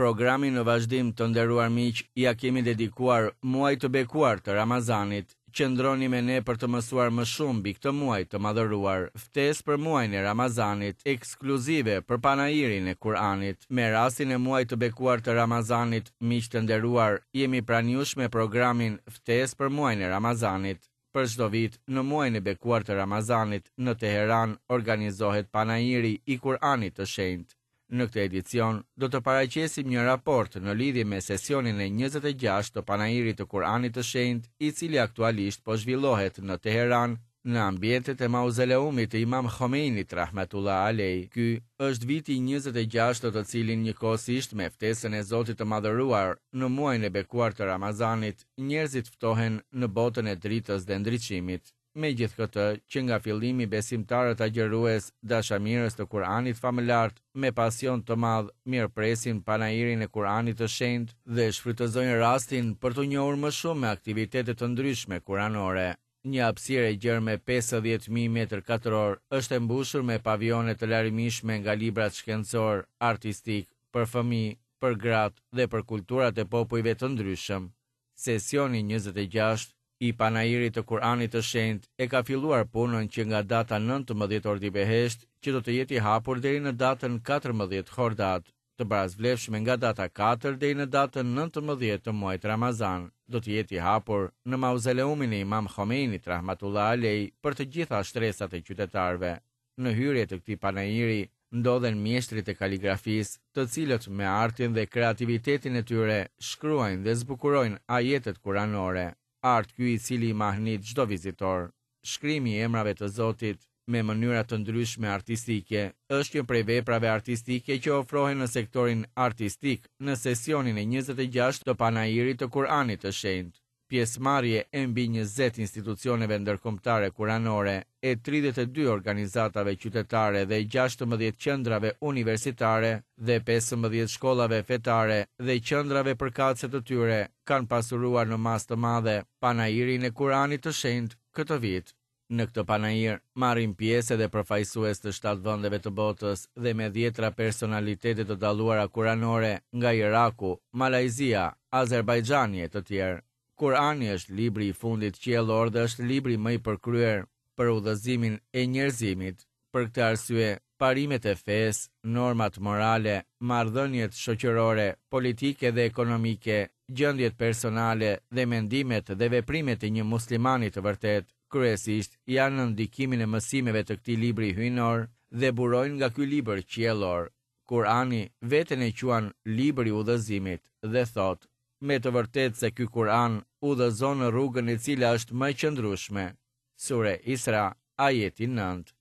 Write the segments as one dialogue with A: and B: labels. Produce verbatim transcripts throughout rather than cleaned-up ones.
A: Programin në vazhdim, të nderuar miq, ia kemi dedikuar muajit të bekuar të Ramazanit. Qëndroni me ne për të mësuar më shumë mbi këtë muaj të madhëruar. Ftesë për muajin e Ramazanit, ekskluzive për panairin e Kur'anit. Me rastin e muajit të bekuar të Ramazanit, miq të nderuar, jemi pranë jush me programin Ftesë për muajin e Ramazanit. Për çdo vit, në muajin e bekuar të Ramazanit, në Teheran organizohet panairi i Kur'anit të Shenjtë. Në këtë edicion do të paraqesim një raport në lidhje me sesionin e njëzet e gjashtë të panairit të Kur'anit të Shenjtë, i cili aktualisht po zhvillohet në Teheran, në ambientet e mauzoleumit të Imam Khomeinit rahmetullah alej. Ky është viti i njëzet e gjashtë të të cilin njëkohësisht me ftesën e Zotit të Madhëruar në muajin e bekuar të Ramazanit, njerëzit ftohen në botën e dritës dhe ndriçimit. Megjithëkëtë, që nga fillimi besimtarët agjërues, dashamirës të Kur'anit famëlart, me pasion të madh, mirëpresin panairin e Kur'anit të Shenjtë dhe shfrytëzojnë rastin për t'u njohur më shumë me aktivitete të ndryshme kuranore. Një hapësirë e gjerë me pesëdhjetë mijë metër katror është e mbushur me pavione të larmishme nga librat shkencor, artistik, për fëmijë, për gratë dhe për kulturat e popujve të ndryshëm. Sesioni njëzet e gjashtë i panairit të Kur'anit të Shenjtë e ka filluar punën që nga data nëntëmbëdhjetë Ordibehesht, që do të jetë i hapur deri në datën katërmbëdhjetë Khordad, të barasvlefshme nga data katër deri në datën nëntëmbëdhjetë të muajit Ramazan, do të jetë i hapur në mauzoleumin e Imam Khomeinit rahmatullah alej për të gjitha shtresat e qytetarëve. Në hyrje të këtij panairi ndodhen mjeshtrit e kaligrafisë, të cilët me artin dhe kreativitetin e tyre shkruajnë dhe zbukurojnë ajetet kuranore. Art ky i cili i mahnit çdo vizitor. Shkrimi i emrave të Zotit me mënyra të ndryshme artistike është një prej veprave artistike që ofrohen në sektorin artistik në sesionin e njëzet e gjashtë të panairit të Kur'anit të Shenjtë. Pjesëmarrje e mbi njëzet institucioneve ndërkombëtare kuranore, e tridhjetë e dy organizatave qytetare dhe gjashtëmbëdhjetë qendrave universitare dhe pesëmbëdhjetë shkollave fetare dhe qendrave përkatëse të tyre kanë pasuruar në masë të madhe panairin e Kur'anit të Shenjtë këtë vit. Në këtë panair marrin pjesë edhe përfaqësues të shtatë vendeve të botës dhe me dhjetra personalitete të dalluara kuranore nga Iraku, Malajzia, Azerbajxhani e të tjerë. Kur'ani është libri i fundit qiellor dhe është libri më i përkryer për udhëzimin e njerëzimit. Për këtë arsye, parimet e fesë, normat morale, marrëdhëniet shoqërore, politike dhe ekonomike, gjendjet personale dhe mendimet dhe veprimet e një muslimani të vërtetë, kryesisht janë në ndikimin e mësimeve të këtij libri hyjnor dhe burojnë nga ky libër qiellor. Kur'ani veten e quan libri i udhëzimit dhe thotë: me të vërtetë se ky Kur'an udhëzon në rrugën e cila është më e qëndrueshme. Sure Isra, ajeti nëntë.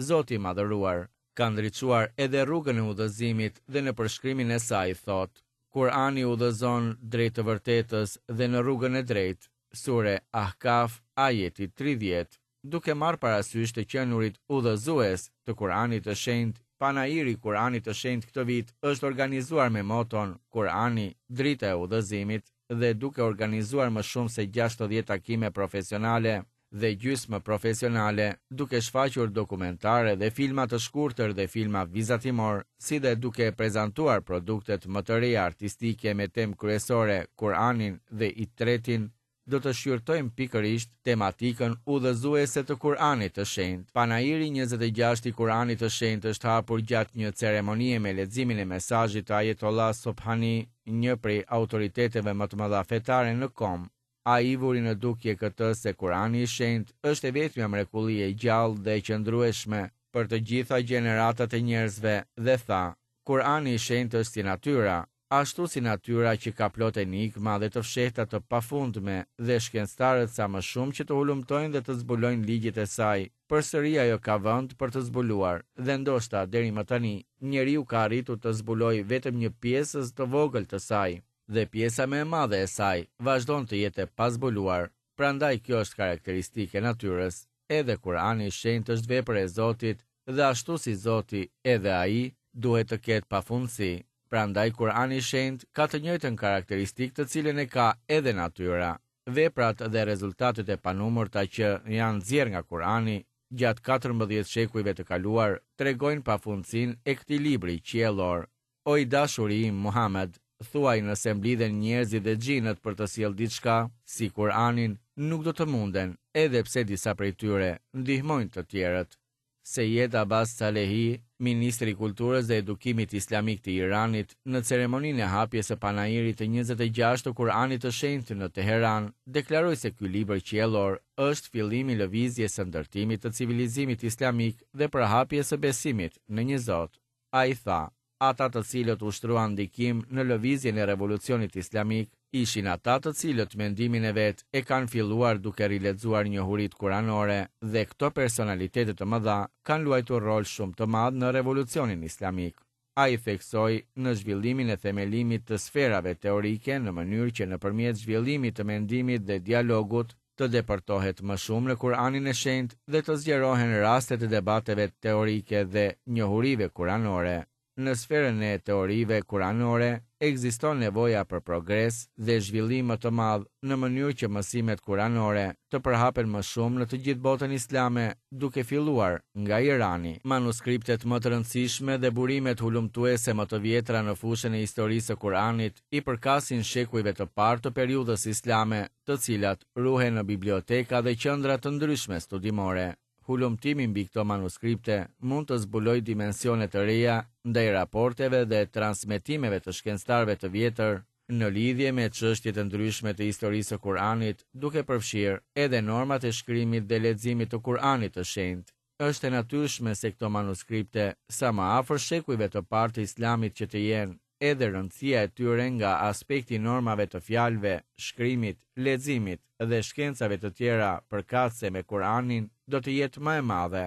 A: Zoti i madhëruar ka ndriçuar edhe rrugën e udhëzimit dhe në përshkrimin e saj thotë: Kur'ani udhëzon drejt të vërtetës dhe në rrugën e drejtë. Sure Ahkaf, ajeti tridhjetë. Duke marrë parasysh të qenurit udhëzues të Kur'anit të Shenjtë, panairi i Kur'anit të Shenjtë këtë vit është organizuar me moton Kur'ani, drita e udhëzimit, dhe duke organizuar më shumë se gjashtëdhjetë takime profesionale dhe gjysmë profesionale, duke shfaqur dokumentare dhe filma të shkurtër dhe filma vizatimor, si dhe duke prezantuar produktet më të reja artistike me temë kryesore Kur'anin dhe Itretin, do të shqyrtojmë pikërisht tematikën udhëzuese të Kur'anit të Shenjtë. Panairi njëzet e gjashtë i Kur'anit të Shenjtë është hapur gjatë një ceremonie me leximin e mesazhit të Ayatollah Subhani, një prej autoriteteve më të mëdha fetare në kom. Ai vuri në dukje këtë se Kur'ani i Shenjtë është e vetmja mrekulli e gjallë dhe e qëndrueshme për të gjitha gjeneratat e njerëzve dhe tha: Kur'ani i Shenjtë është si natyra, ashtu si natyra që ka plot enigma dhe të fshehta të pafundme dhe shkencëtarët sa më shumë që të hulumtojnë dhe të zbulojnë ligjet e saj, përsëri ajo ka vend për të zbuluar dhe ndoshta deri më tani njeriu ka arritur të zbulojë vetëm një pjesë të vogël të saj dhe pjesa më e madhe e saj vazhdon të jetë e pazbuluar. Prandaj kjo është karakteristike e natyrës. Edhe Kur'ani i Shenjtë është vepër e Zotit dhe ashtu si Zoti, edhe ai duhet të ketë pafundësi. Prandaj Kur'ani i Shenjtë ka të njëjtën karakteristikë të cilën e ka edhe natyra. Veprat dhe rezultatet e panumërta që janë nxjerrë nga Kur'ani gjatë katërmbëdhjetë shekujve të kaluar tregojnë pafundësinë e këtij libri qiellor. O i dashuri im Muhammed, Thuaj nëse mblidhen njerëzit dhe xhinët për të sjellë diçka, si Kur'anin, nuk do të munden, edhe pse disa prej tyre ndihmojnë të tjerët. Seyed Abbas Salehi, ministri i Kulturës dhe Edukimit Islamik të Iranit, në ceremoninë e hapjes së panairit të njëzet e gjashtë të Kur'anit të Shenjtë në Teheran, deklaroi se ky libër qiellor është fillimi i lëvizjes së ndërtimit të civilizimit islamik dhe përhapjes së besimit në një Zot. Ai tha, ata të cilët ushtruan ndikim në lëvizjen e revolucionit islamik, ishin ata të cilët mendimin e vet e kanë filluar duke rilexuar njohuritë kuranore dhe këto personalitete të mëdha kanë luajtur rol shumë të madh në revolucionin islamik. Ai theksoi në zhvillimin e themelimit të sferave teorike në mënyrë që nëpërmjet zhvillimit të mendimit dhe dialogut të depërtohet më shumë në Kur'anin e Shenjtë dhe të zgjerohen rastet e debateve teorike dhe njohurive kuranore. Në sferën e teorive kuranore ekziston nevoja për progres dhe zhvillim më të madh në mënyrë që mësimet kuranore të përhapen më shumë në të gjithë botën islame, duke filluar nga Irani. Manuskriptet më të rëndësishme dhe burimet hulumtuese më të vjetra në fushën e historisë së Kuranit i përkasin shekujve të parë të periudhës islame, të cilat ruhen në biblioteka dhe qendra të ndryshme studimore. Hulumtimi mbi këto manuskripte mund të zbulojë dimensione të reja ndaj raporteve dhe transmetimeve të shkencëtarëve të vjetër në lidhje me çështje të ndryshme të historisë së Kuranit, duke përfshirë edhe normat e shkrimit dhe leximit të Kuranit të Shenjtë. Është e natyrshme se këto manuskripte, sa më afër shekujve të parë të Islamit që të jenë, edhe rëndësia e tyre nga aspekti i normave të fjalëve, shkrimit, leximit dhe shkencave të tjera përkatëse me Kur'anin do të jetë më e madhe.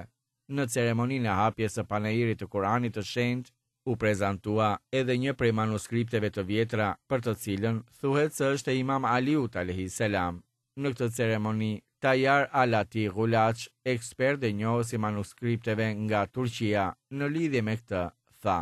A: Në ceremoninë e hapjes së panairit të Kur'anit të Shenjtë u prezantua edhe një prej manuskripteve të vjetra për të cilën thuhet se është e Imam Aliut alayhi selam. Në këtë ceremoni, Tajar Alati Gulaç, ekspert dhe njohës i manuskripteve nga Turqia, në lidhje me këtë, tha: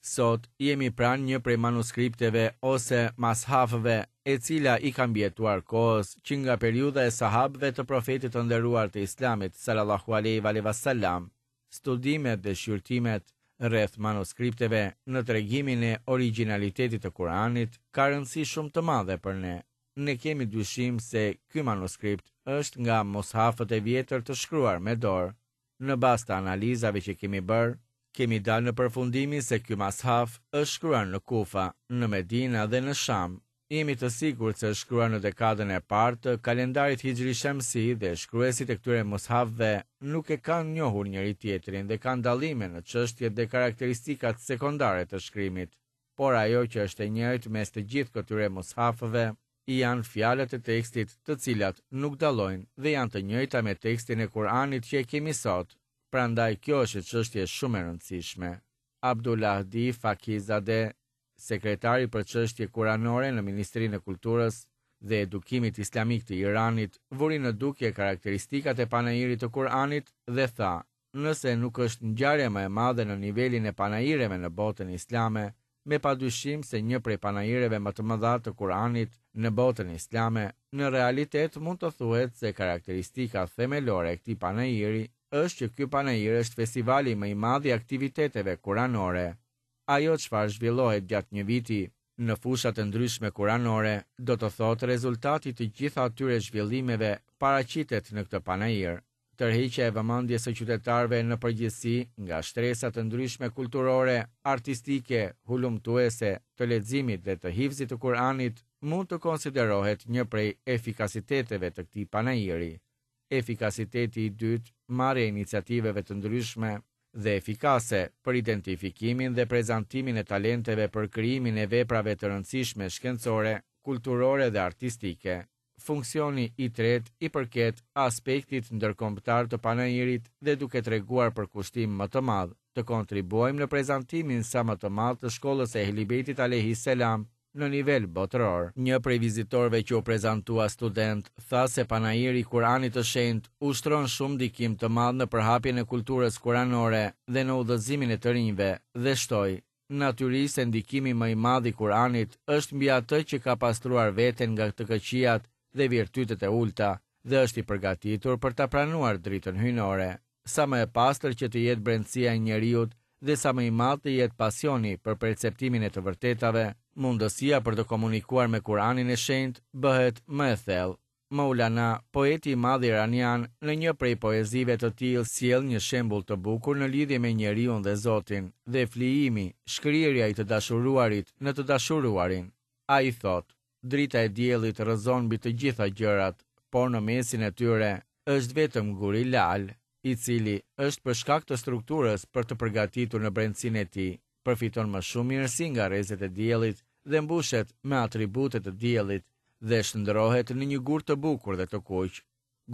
A: Sot jemi pranë një prej manuskripteve ose mashafëve, e cila i ka mbijetuar kohës që nga periudha e sahabëve të profetit të nderuar të Islamit sallallahu alaihi wa sallam. Studimet dhe shqyrtimet rreth manuskripteve në tregimin e origjinalitetit të Kuranit ka rëndësi shumë të madhe për ne. Ne kemi dyshim se ky manuskript është nga mushafët e vjetër të shkruar me dorë. Në bazë të analizave që kemi bërë, kemi dalë në përfundimin se ky mashaf është shkruar në Kufa, në Medina dhe në Sham. Jemi të sigurt se është shkruar në dekadën e parë të kalendarit Hijri Shamsi dhe shkruesit e këtyre mushafëve nuk e kanë njohur njëri tjetrin dhe kanë dallime në çështjet dhe karakteristikat sekondare të shkrimit. Por ajo që është e njëjtë mes të gjithë këtyre mushafëve janë fjalët e tekstit, të cilat nuk dallojnë dhe janë të njëjta me tekstin e Kuranit që e kemi sot. Prandaj kjo është çështje shumë e rëndësishme. Abdullah Fakizade, sekretari për çështje kuranore në Ministrinë e Kulturës dhe Edukimit Islamik të Iranit, vuri në dukje karakteristikat e panairit të Kuranit dhe tha: nëse nuk është ngjarja më e madhe në nivelin e panaireve në botën islame, me padyshim se një prej panaireve më të mëdha të Kuranit në botën islame, në realitet mund të thuhet se karakteristika themelore e këtij panairi është që ky panair është festivali më i madh i aktiviteteve kuranore. Ajo çfarë zhvillohet gjatë një viti në fushat e ndryshme kuranore, do të thotë rezultati të gjitha atyre zhvillimeve paraqitet në këtë panair. Tërheqja e vëmendjes së qytetarëve në përgjithësi nga shtresa të ndryshme kulturore, artistike, hulumtuese, të leximit dhe të hifzit të Kuranit mund të konsiderohet një prej efikasiteteve të këtij panairi. Efikasiteti i dytë, marrja e iniciativeve të ndryshme dhe efikase për identifikimin dhe prezantimin e talenteve për krijimin e veprave të rëndësishme shkencore, kulturore dhe artistike. Funksioni i tretë i përket aspektit ndërkombëtar të panairit dhe duke treguar përkushtim më të madh, të kontribuojmë në prezantimin sa më të madh të shkollës së Ehli Bejtit alayhi selam në nivel botëror. Një prej vizitorëve që u prezantua student tha se panairi i Kuranit të Shenjtë ushtron shumë ndikim të madh në përhapjen e kulturës kuranore dhe në udhëzimin e të rinjve dhe shtoi: natyrisht se ndikimi më i madh i Kuranit është mbi atë që ka pastruar veten nga të këqijat dhe virtytet e ulta dhe është i përgatitur për ta pranuar dritën hyjnore. Sa më e pastër që të jetë brendësia e njeriut dhe sa më i madh të jetë pasioni për perceptimin e të vërtetave, Mundësia për të komunikuar me Kur'anin e Shenjtë bëhet më e thellë. Maulana, poeti i madh iranian, në një prej poezive të tij sjell një shembull të bukur në lidhje me njeriun dhe Zotin, dhe flijimi, shkrirja i të dashuruarit në të dashuruarin. Ai thotë: Drita e diellit rrëzon mbi të gjitha gjërat, por në mesin e tyre është vetëm guri lal, i cili është për shkak të strukturës për të përgatitur në brendësinë e tij, përfiton më shumë mirësi nga rrezet e diellit dhe mbushet me atribute të diellit dhe shndrohet në një gur të bukur dhe të kuq.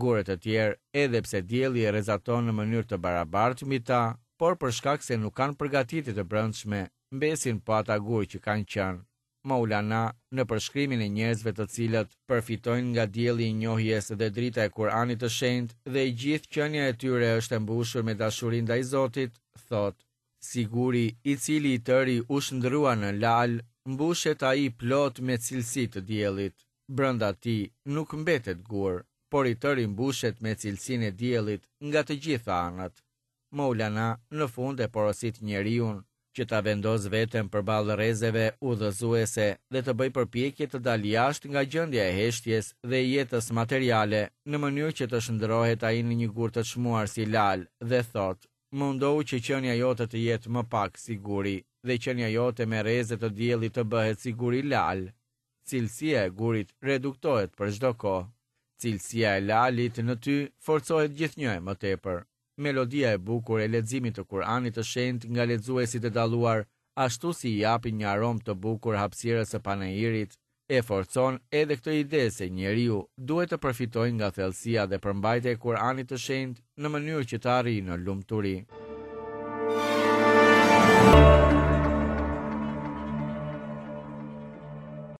A: Gurët e tjerë, edhe pse dielli e rrezaton në mënyrë të barabartë mbi ta, por për shkak se nuk kanë përgatitje të brendshme, mbesin po ata gurë që kanë qenë. Maulana, në përshkrimin e njerëzve të cilët përfitojnë nga dielli i njohjes dhe drita e Kur'anit të Shenjtë dhe e gjithë qenia e tyre është e mbushur me dashuri ndaj Zotit, thotë: Si guri i cili i tëri u shndrua në lal, mbushet ai plot me cilësi të diellit. Brenda tij nuk mbetet gur, por i tëri mbushet me cilësinë e diellit nga të gjitha anët. Maulana në fund e porosit njeriun që ta vendos veten përballë rrezeve udhëzuese dhe të bëjë përpjekje të dalë jashtë nga gjendja e heshtjes dhe jetës materiale, në mënyrë që të shndrohet ai në një gur të çmuar si lal, dhe thotë: Mundohu që qenia jote të jetë më pak si guri, dhe qenia jote me rreze të diellit të bëhet si guri lal. Cilësia e gurit reduktohet për çdo kohë. Cilësia e lalit në ty forcohet gjithnjë e më tepër. Melodia e bukur e leximit të Kur'anit të Shenjtë nga lexuesit e dalluar, ashtu si i japin një aromë të bukur hapësirës së panairit, e forcon edhe këtë ide se njeriu duhet të përfitojë nga thellësia dhe përmbajtja e Kur'anit të Shenjtë në mënyrë që të arrijë në lumturi.